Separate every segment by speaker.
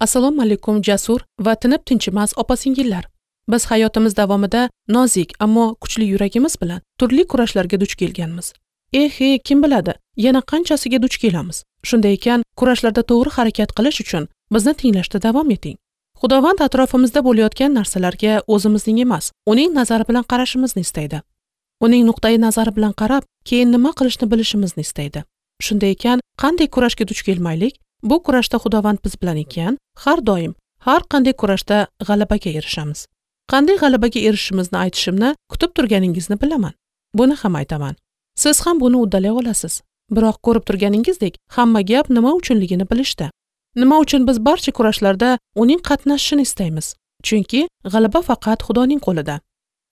Speaker 1: Assalomu alaykum jasur va tinib tinchimas opa-singillar. Biz hayotimiz davomida nozik, ammo kuchli yuragimiz bilan turli kurashlarga duch kelganmiz. Kim biladi, yana qanchasiga duch kelamiz. Shunday ekan, kurashlarda to'g'ri harakat qilish uchun bizni tinglashda davom eting. Xudovand atrofimizda bo'layotgan narsalarga o'zimizning emas, uning nazari bilan qarashimizni istaydi. Uning nuqtai nazari bilan qarab, keyin nima qilishni bilishimizni istaydi. Shunday ekan, qanday kurashga duch kelmaylik, bu kurashda Xudovand biz bilan ekan, har doim, har qanday kurashda g'alabaga erishamiz. Qanday g'alabaga erishishimizni aytishimni kutib turganingizni bilaman. Buni ham aytaman. Siz ham buni uddalay olasiz. Biroq ko'rib turganingizdek, hamma gap nima uchunligini bilishda. Nima uchun biz barcha kurashlarda uning qatnashishini istaymiz? Chunki g'alaba faqat Xudoning qo'lida.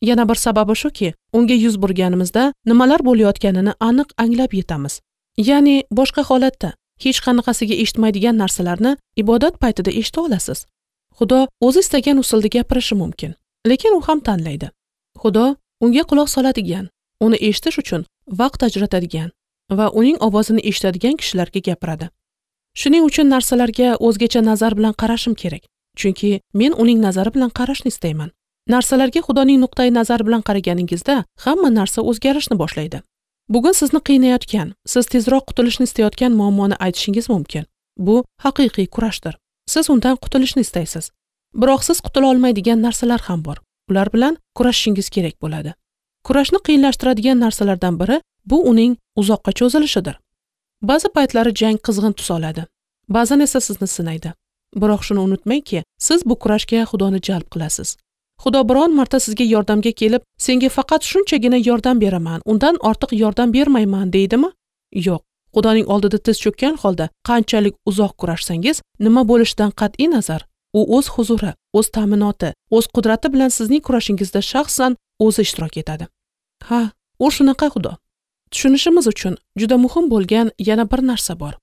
Speaker 1: Yana bir sababi shuki, unga yuz burganimizda nimalar bo'layotganini aniq anglab yetamiz. Ya'ni boshqa holatda hech qanaqasiga eshitmaydigan narsalarni ibodat paytida eshita olasiz. Xudo o'zi istagan usulda gapirishi mumkin, lekin u ham tanlaydi. Xudo unga quloq soladigan, uni eshitish uchun vaqt ajratadigan va uning ovozini eshitadigan kishilarga gapiradi. Shuning uchun narsalarga o'zgacha nazar bilan qarashim kerak, chunki men uning nazari bilan qarashni istayman. Narsalarga Xudoning nuqtai nazari bilan qaraganingizda hamma narsa o'zgarishni boshlaydi. Bugun sizni qiynayotgan, siz tezroq qutulishni istayotgan muammoni aytishingiz mumkin. Bu haqiqiy kurashdir. Siz undan qutulishni istaysiz. Biroq siz qutula olmaydigan narsalar ham bor. Ular bilan kurashishingiz kerak bo'ladi. Kurashni qiyinlashtiradigan narsalardan biri bu uning uzoqqa cho'zilishidir. Ba'zi paytlari jang qizg'in tus oladi. Ba'zan esa sizni sinaydi. Biroq shuni unutmangki, siz bu kurashga Xudoni jalb qilasiz. Xudo biron marta sizga yordamga kelib, senga faqat shunchagina yordam beraman, undan ortiq yordam bermayman deydimi? Yo'q. Xudoning oldida tiz cho'kkan holda qanchalik uzoq kurashsangiz, nima bo'lishidan qat'iy nazar, u o'z huzuri, o'z ta'minoti, o'z qudrati bilan sizning kurashingizda shaxsan o'zi ishtirok etadi. Ha, u shunaqa Xudo. Tushunishimiz uchun juda muhim bo'lgan yana bir narsa bor.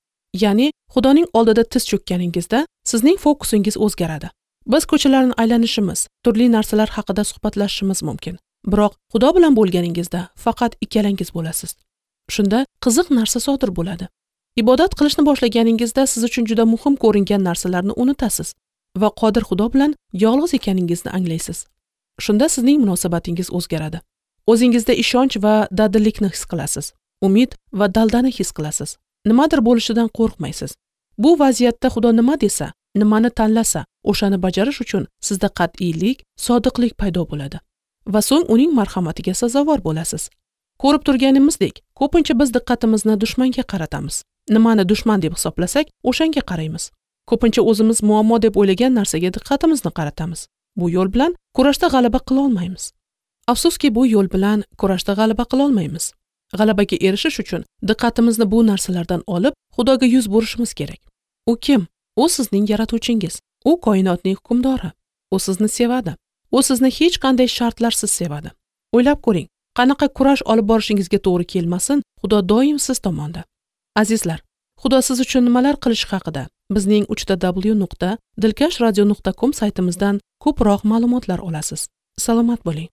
Speaker 1: Ya'ni Xudoning oldida tiz cho'kkaningizda sizning fokusingiz o'zgaradi. Biz ko'chalarni aylanishimiz, turli narsalar haqida suhbatlashishimiz mumkin. Biroq Xudo bilan bo'lganingizda faqat ikkalangiz bo'lasiz. Shunda qiziq narsa sodir bo'ladi. Ibodat qilishni boshlaganingizda siz uchun juda muhim ko'ringan narsalarni unutasiz va qodir Xudo bilan yolg'iz ekaningizni anglaysiz. Shunda sizning munosabatingiz o'zgaradi. O'zingizda ishonch va dadillikni his qilasiz. Umid va daldani his qilasiz. Nimadir bo'lishidan qo'rqmaysiz. Bu vaziyatda Xudo nima desa, nimani tanlasa, o'shani bajarish uchun sizda qat'iylik, sodiqlik paydo bo'ladi va so'ng uning marhamatiga sazovor bo'lasiz. Ko'rib turganimizdek, ko'pincha biz diqqatimizni dushmanga qaratamiz. Nimani dushman deb hisoblasak, o'shanga qaraymiz. Ko'pincha o'zimiz muammo deb o'ylagan narsaga diqqatimizni qaratamiz. Bu yo'l bilan kurashda g'alaba qila olmaymiz. Afsuski, bu yo'l bilan kurashda g'alaba qila olmaymiz. G'alabaga erishish uchun diqqatimizni bu narsalardan olib, Xudoga yuz burishimiz kerak. U kim? U sizning yaratuvchingiz. U koinotning hukmdori. U sizni sevadi. U sizni hech qanday shartlarsiz sevadi. O'ylab ko'ring, qanaqa kurash olib borishingizga to'g'ri kelmasin, Xudo doim siz tomonda. Azizlar, Xudo siz uchun nimalar qilishi haqida bizning www.dilkashradio.com saytimizdan ko'proq ma'lumotlar olasiz. Salomat bo'ling.